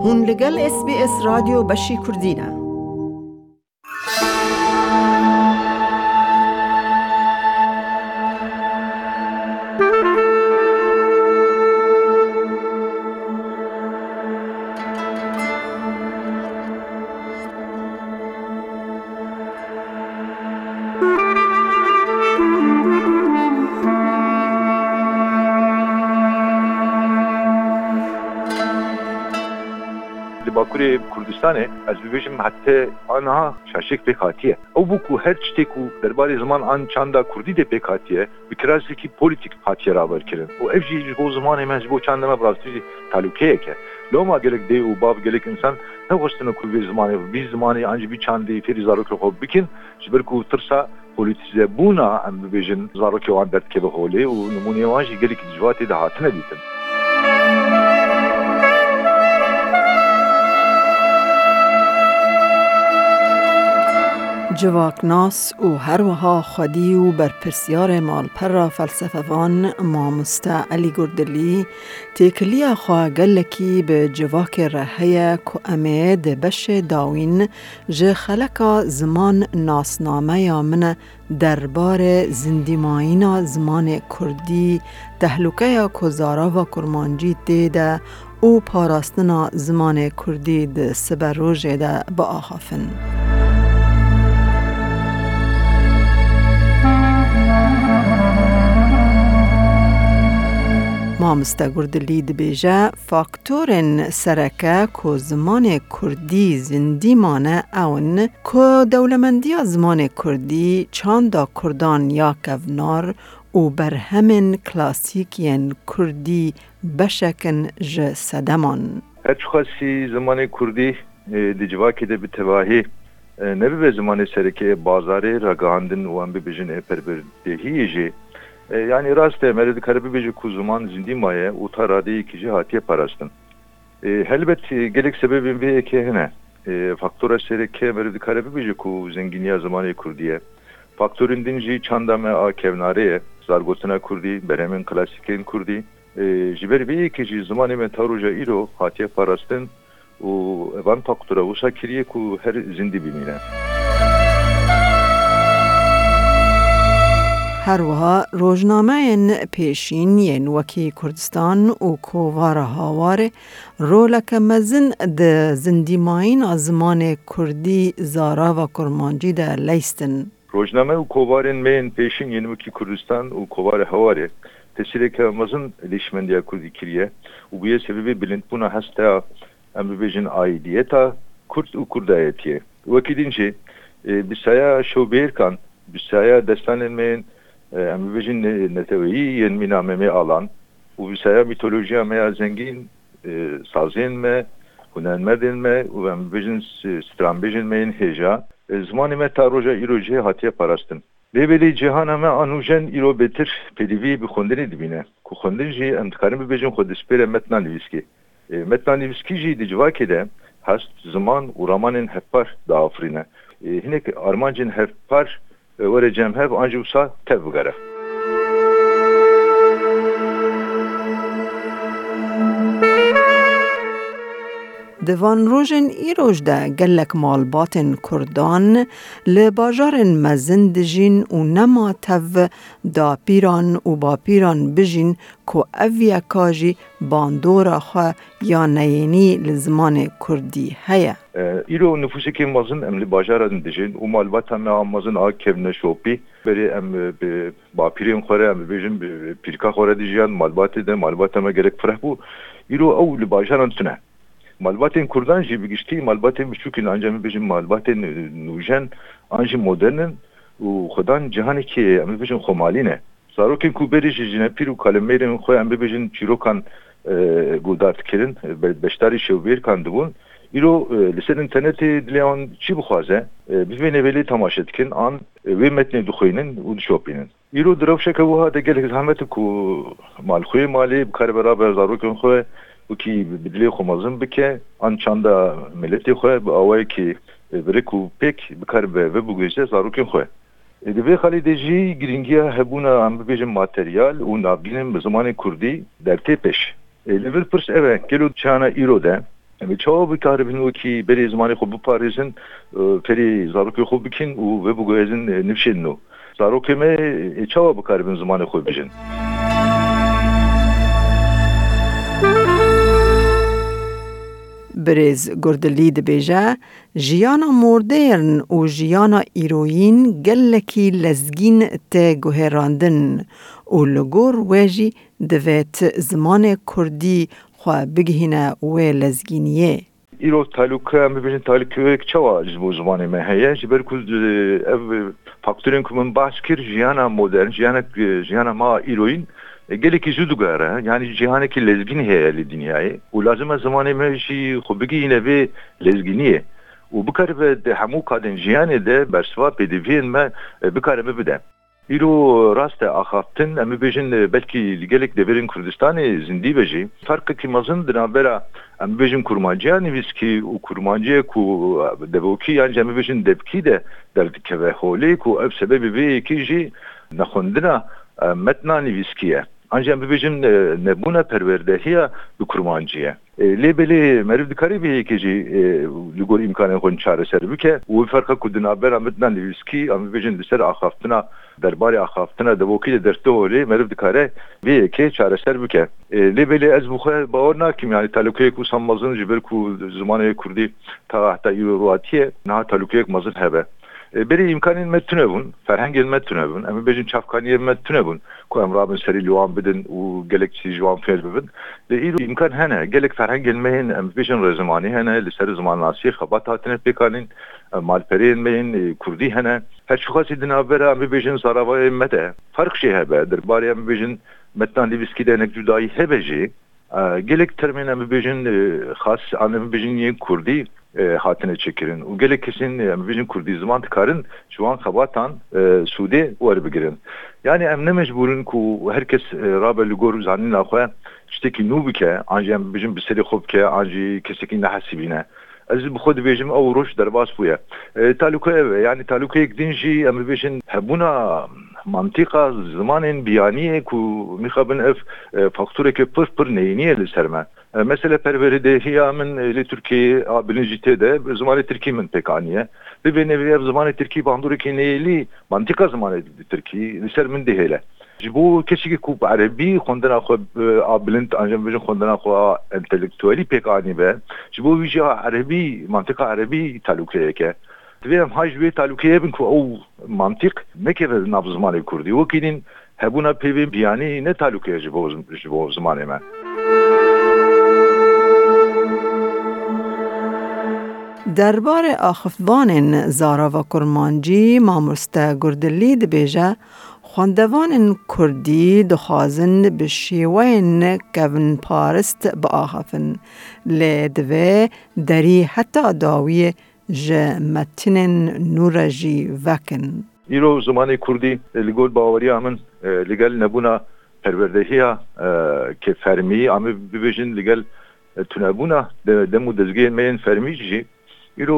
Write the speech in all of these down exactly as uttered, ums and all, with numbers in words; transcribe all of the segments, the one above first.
Hûn li gel S B S Radyo beşî Kurdî ne. Li Bakurê Kurdistanê, ez bibêjim, heta aniha şaşiyek pêk hatiye. Ew bû ku her tiştê ku derbarê ziman an çanda kurdî de pêk hatiye, bi kirasekî polîtîk hatiye raberkirin. Û ev jî ji bo zimanê me, ji bo çandê me bi rastî jî talûkeyek e. Loma gelek dê û bav, gelek însan nexwestine ku vê zimanê, vî zimanê an jî vî çandê fêrî zarokên xwe bikin, ji ber ku tirsa polîtîzebûna, em bibêjin, zarokê wan derdikeve holê û nimûneyê wan jî gelekî di civatê de hatine dîtin. Civaknas û her wiha xwedî û berpirsyarê malpera felsefevan mamoste Elî Gurdilî têkiliya xwe gelekî bi civakê re heye ku em ê di beşê dawîn ji xeleka ziman nasnameya min derbarê zindîmayîna zimanê kurdî, tehlûkeya ku zarava kurmancî tê de û parastina zimanê kurdî di siberojê de biaxafin. Mamoste Gurdilî dibêje, faktorên sereke ku zimanê kurdî zindî mane ew in ku dewlemendiya zimanê kurdî, çanda kurdan ya kevnar û berhemên klasîk yên kurdî beşek in ji sedeman. Her çiqasî zimanê kurdî, e, di civakê de bi tevahî, e, nebibe zimanê sereke yê bazarê, ragihandin û em bibêjin ê perwerdehiyê jî. E, yanî rast e, meriv dikare bibêje ku ziman zindî maye û ta radeyekî jî hatiye parastin. E, helbet, e, gelek sebebên vê yekê hene. E, faktora sereke meriv dikare bibêje ku zengîniya zimanê kurdî ye. Faktorên din jî çanda me a kevnarê ye, zargotina kurdî, berhemên klasîkên kurdî. E, ji ber vê yekê jî zimanê me ta roja îro hatiye parastin û evan faktora wisa kiriye ku her zindî bimîne. Her wiha rojnameyên pêşîn yên wekî Kurdistan û Kovara Hawarê roleke mezin di zindîmayîna zimanê kurdî, zarava kurmancî de leyst in. Rojname û kovarên me yên pêşîn yên wekî Kurdistan û Kovara Hawarê tesîreke mezin li hişmendiya kurdî kiriye û bûye sebebê bilindbûna hesta, em bibêjin, aîdiyeta kurd û kurdayetiyê. Wekî din jî, e, bi saya şewbêrkan, bi saya destanên me yên, e, em bibêjin, ne-, neteweyî yên mîna Memê Alan û bi saya mîtolojiya me ya zengîn, e, sazên me, hunermendên me û em bibêjin s-, stranbêjên me yên hêja, e, zimanê me ta roja îro jî hatiye parastin. Lê belê cîhana me a nûjen îro bêtir pêdivî bi xwendinê dibîne, ku xwendin jî em dikarin bibêjin xwe dispêre metna nivîskê. E, metna nivîskî jî di civakê de hest, ziman û ramanên hevpar diafirîne. E, hinek armancên hevpar, e, were cem hev an jî wisa tev bigere. Di van rojên îroj de gelek malbatên kurdan li bajarên mezin dijîn û nema tev dapîran û bapîran bijîn ku ev yeka jî bandora xwe ya neyênî li zimanê kurdî heye. E, îro nifûsekî mezin em li bajaran dijîn û malbata me a mezin a kevneşopî. Berê em, e, bi bapîrên xwe re, em bibêjin, bi pîrka xwe re dijiyan, malbatê de, malbata me gelek fireh bû. Îro ew li bajaran tune. Malbatên kurdan jî bi giştî malbatên biçûk in, anca em bibêjin malbatên, e, nûjen an jî modern in û xwedan cihanekî, em bibêjin, xwemalî ne. Zarokên ku berê ji jinepîr û kalemêrên xwe, em bibêjin çîrokan, e, guhdar dikirin, be-, beşdarî şewbêrkan dibûn, îro, e, li ser înternetê dilê wan çi bixwaze, e, bi vê nivêlê temaşe dikin, an, e, wê metnê dixwînin û dişopînin. Îro di rewşeke wiha de gelek zehmet e ku malxweyê malê bikare beraber zarokên xwe wekî bi dilê xwe mezin bike, an çanda miletê xwe bi awayekî, e, bi rêk û pêk bikare bi, biguhêje zarokên xwe. E, di vê xalê de jî girîngiya hebûna, em bibêjin, materyal û navgînên bi zimanê kurdî dertê pêş. E, li vir pirs ev e, gelo çiyana îro de Em ê çawa bikaribin wekî berê zimanê xwe biparêzin, e, ferê zarokê xwe bikin û vê biguhezin, e, nifşên nû? Zarokê me, e, çawa bikaribin zimanê xwe bijin? Birêz Gurdilî dibêje, jiyana modern û jiyana îroyîn gelekî lezgîn tê guherandin û li gor we jî divêt zimanê kurdî xwe bigihîne wê lezgîniyê. Îro talûke, em bibêjin talûkeyek çawa ji bo zimanê me heye? Ji ber ku, e, ev faktorên ku min behs kir, jiyana modern, jiyana, jiyana me a îroyîn, e, gelekî zû digere. Yanî cîhanekî lezgîn heye li dinyayê û lazim e zimanê me jî xwe bigihîne vê lezgîniyê û bikaribe di hemû kadên jiyanê de bersiva pêdiviyên me, e, bikare bibide. Îro rast e, axaftin, em bibêjin, e, belkî li gelek deverên Kurdistanê zindî be jî, ferqekî mezin di navbera, em bibêjin, kurmanciya nivîskî û kurmanciyê ku, e, devokî yan jî em bibêjin devkî de derdikeve holê, ku ev sebebê vê yekê jî nexwendina, e, metna nivîskî ye. An jî em bibêjin, e, nebûna perwerdehiya bi kurmancî ye. E, lê belê meriv dikare vê yekê jî, e, li gor îmkanên xwe çareser bike û wê ferqa ku di navbera metna nivîskî, em bibêjin li ser axaftina, derbarê axaftina devokî de dertê holê, meriv dikare vê yekê çareser bike. E, lê belê ez bi xwe bawer nakim, yanî talûkeyek wisa mezin ji ber ku zimanê kurdî ta heta îro rû hatiye, niha talûkeyek mezin hebe. E, berê îmkanên me tune bûn, ferhengên me tune bûn, em bibêjin çavkaniyên me tune bûn ku em rabin serî li wan bidin û gelek tiştî ji wan fêr bibin. Lê îro îmkan hene, gelek ferhengên me yên, em bibêjin, rêzimanî hene, li ser zimannasiyê xebat hatine pêkanîn, e, malpereyên me yên, e, kurdî hene. Her çiqasî di navbera, em bibêjin, zaravayê me de ferq jî hebe, derbarê, em bibêjin, metna nivîskî de hinek cudayî hebe jî, e, gelek termên, em bibêjin, e, xas, an em bibêjin yên kurdî, e, hatine çêkirin û gelek kesên, e, em bibêjin, kurdî ziman dikarin ji wan xebatan, e, sûdê werbigirin. Yanî em ne mecbûr in ku her kes, e, rabe li gor zanîna xwe tiştekî nû bike, an jî, em bibêjin, bi serê xwe bike, an jî kesekî nehesibîne. Ez bi xwe dibêjim, ew roj derbas bûye. E, talûke ev e, yanî talûkeyek din jî, em bibêjin, hebûna mantîqa zimanên biyaniyê ku mixabin ev, e, faktoreke pir pir neyînî ye li ser me. E, mesela perweredehiya min, e, li Tirkiyeyê a bilinc jî tê de, bi zimanê tirkî min pêk aniye. Bibêne vê ev zimanê tirkî bandoreke neyêlî, mantîqa zimanê tirkî li ser min dihêle. Ji bo kesekî ku bi erebî xwendina xwe, e, a bilind, an jî em bibêjin xwendina xwe a entelektuelî pêk anîbe, ji bo wî jî a erebî, mantîqa erebî talûkeyek e. Divê em hay ji wê talûkeyê bin ku ew mantîq nekeve nav zimanê kurdî. Wekî din hebûna peyvên biyanî ne talûke ye ji bo, ji bo zimanê me. Derbarê axifvanên zarava kurmancî, mamoste Gurdilî dibêje, xwendevanên kurdî dixwazin bi şêweyên kevnparist biaxifin, lê divê derî heta dawiyê ji metinên nû re jî vekin. Îro zimanê kurdî, e, li gor baweriya min, e, li gel nebûna perwerdehiya, e, ke fermî, em ê bibêjin, li gel, e, tunebûna de-, dem û dezgehên me yên fermî jî îro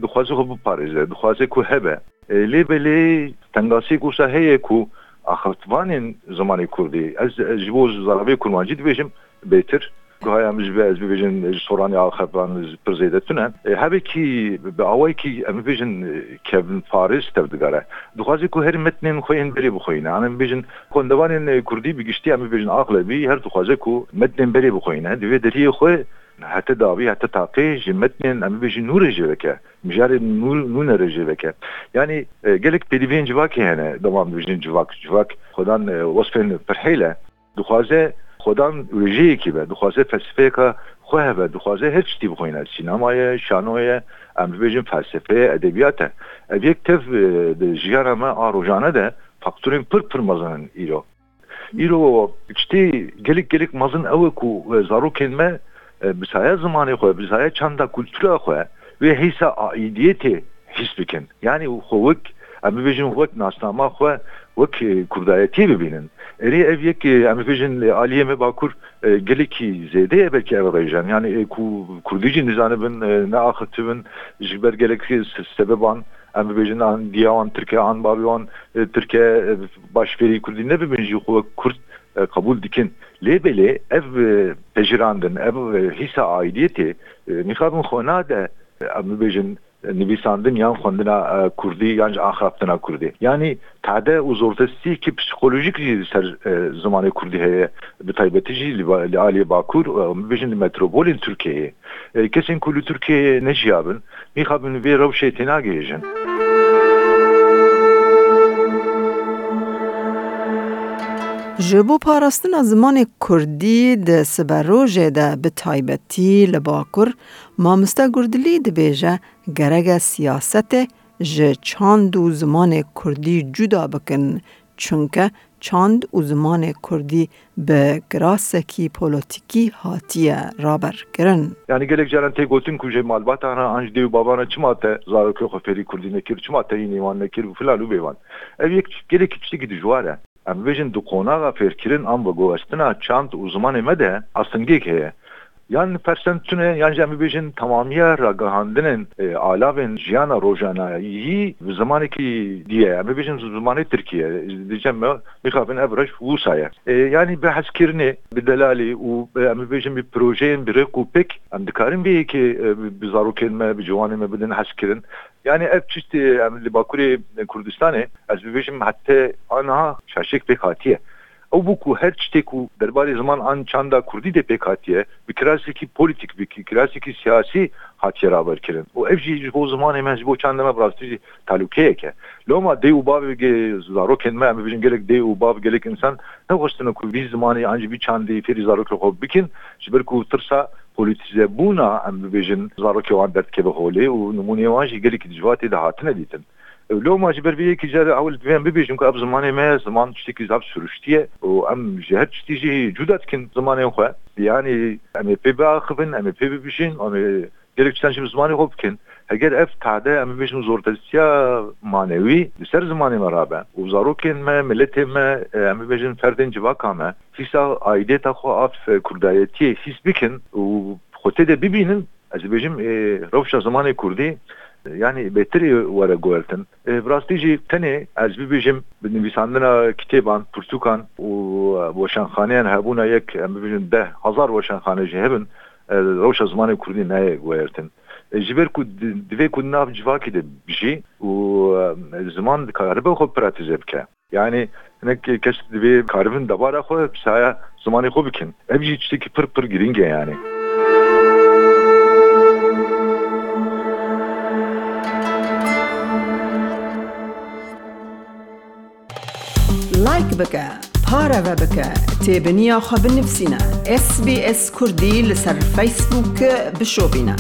dixwaze xwe biparêze, dixwaze ku hebe. E, lê belê tengasiyek wisa heye ku axiftivanên zimanê kurdî, ez, ez ji bo zaravê kurmancî dibêjim, bêtir. Guhaya min ji vê, ez bibêjim, ji soranê axifvan pir zêde tune. E, hevekî bi awayekî, em bibêjin, e, kevnparêz tevdigere. Dixwaze ku her metnên xwe yên berê bixweyne. Em bibêjin, xwendevanên, e, kurdî bi giştî, em bibêjin, axlebî her dixwaze ku metnên berê bixweyne. Divê deriyê xwe hete dawî, hete taqê ji metnên, em bibêjin, nû re jê veke. Mijarên nû, nûne re jê veke. Yanî, e, gelek pêdiviyên civakê hene, dema em dibêjin civak. Civak xwedan, e, wesfên pirhêl e. Dixwaze xwedan wêjeyekî be, dixwaze felsefeyeka xwe hebe, dixwaze her tiştî bixwîne. Sînema ye, şano ye, em bibêjin felsefe ye, edebiyat e. Ev yek tev, e, di jiyana me a rojane de faktorên pir pir mezin in îro. Îro tiştê gelek gelek mezin ew e ku, e, zarokên me, e, bi saya zimanê xwe, bi saya çanda kultura xwe, wê hîsa aîdiyetê hîs bikin. Yanî xwe wek, em bibêjin, wek nasnama xwe, wek, e, kurdayetiyê bibînin. Erê ev yek, e, em bibêjin, e, aliyê me bakur, e, gelekî zêde ye belkî ev rêje. Yanî, e, ku kurdî jî nizanibin, e, neaxiftin, ji ber gelek se-, sebeban, em bibêjin, an diya wan tirk e, an bavê wan, e, tirk e, e, baş fêrî kurdî nebibin jî xwe wek kurd, e, qebûl dikin. Lê belê ev, e, pejirandin, ev, e, hîsa aidiyetê, e, mixabin xwe nade, e, em bibêjin, e, nivîsandin yan xwendina, e, kurdî yan jî axaftina kurdî. Yanî tade û zortestiyekî psîkolojîk jî li ser, e, zimanê kurdî heye, bi taybetî jî li ba-, li aliyê Bakur, e, em bibêjin li metropolên Tirkiyeyê. E, kesên ku li Tirkiyeyê nejiyabin, mixabin vê rewşê tênagihêjin. Ji bo parastina zimanê kurdî di siberojê de, bi taybetî li Bakur, mamoste Gurdilî dibêje, gerek e siyasetê ji çand û zimanê kurdî cuda bikin, çunke çand û zimanê kurdî bi kirasekî polotîkî hatiye raberkirin. Yanî gelek caran tê gotin ku ji malbatan re an ji dê û bavan re çima te zarokê xwe fêrî kurdî nekir, çima teyînê wan nekir û filan û bêvan. Ev yek gelekî tiştekî dijwar e. Em bibêjin di qonaxa fêrkirin an veguhestina çand û zimanê me de astengiyek heye. Yan persent tune, yan jî em bibêjin temamiya ragihandinên, e, alavên jiyana rojanayî bi zimanekî dî ye. Em bibêjin zimanê tirkî ye. Diyecem me, mixabin ev rewş wisa ye. E, yanî bi hezkirinê, bi delalî û, e, em bibêjin bi projeyên bi rêk û pêk, em dikarin vê yekê, e, bi, bi zarokên me, bi ciwanên me bidin hezkirin. Yanî ev tiştê em li Bakurê Kurdistanê, ez bibêjim hete aniha şaşek pêk hatiye. Ew bû ku her tiştê ku derbarê ziman an çanda kurdî de pêk hatiye, bi kirasekî polîtîk, bi kirasekî siyasî hatiye raberkirin. Û ev jî ji bo zimanê me, ji bo çandê me bi rastî jî talûkeyek e. Loma dê û bavê ge-, zarokên me, em bibêjin gelek dê û bav, gelek însan nexwestine ku vî zimanê an jî vî çandê fêrî zarokê xwe bikin, ji ber ku tirsa polîtîzebûna, em bibêjin, zarokê wan derdikeve holê û nimûneyê wan jî gelekî dijwar tê de hatine dîtin. Loma ji ber vê yekî car ewil divê em bibêjin ku ev zimanê me ye, ziman tiştekî zaf siruştî ye û em ji her tiştî jî cuda dikin zimanên xwe. Yanî em ê pê biaxivin, em ê pê bibijin, em ê gelek tiştan jî bi zimanê xwe bikin. Heger ev tade em bibêjin zortestiya manewî li ser zimanê me rabe û zarokên me, miletê me, em bibêjin ferdên civaka me, hîsa aidiyeta xwe a kurdayetiyê hîs bikin û xwe tê de bibînin, ez dibêjim, ê, rewşa zimanê kurdî, yanî bêtirî were guhertin. Ê, bi rastî jî tenê ez bibêjim bi nivîsandina kitêban, pirtûkan û, e, weşanxaneyan hebûna yek, em bibêjin deh hezar weşanxane jî hebin, e, rewşa zimanê kurdî nayê guhertin. E, ji ber ku di-, divê ku di nav civakê de bijî û, e, ziman dikaribe xwe pratîze bike. Yanî hinek kes divê karibin debara xwe bi saya zimanê xwe bikin. Ev jî tiştekî pir pir girîng e yanî. Like bike, pareve bike, têbiniya xwe binivîsîne. S B S Kurdî li ser Facebook bişopîne.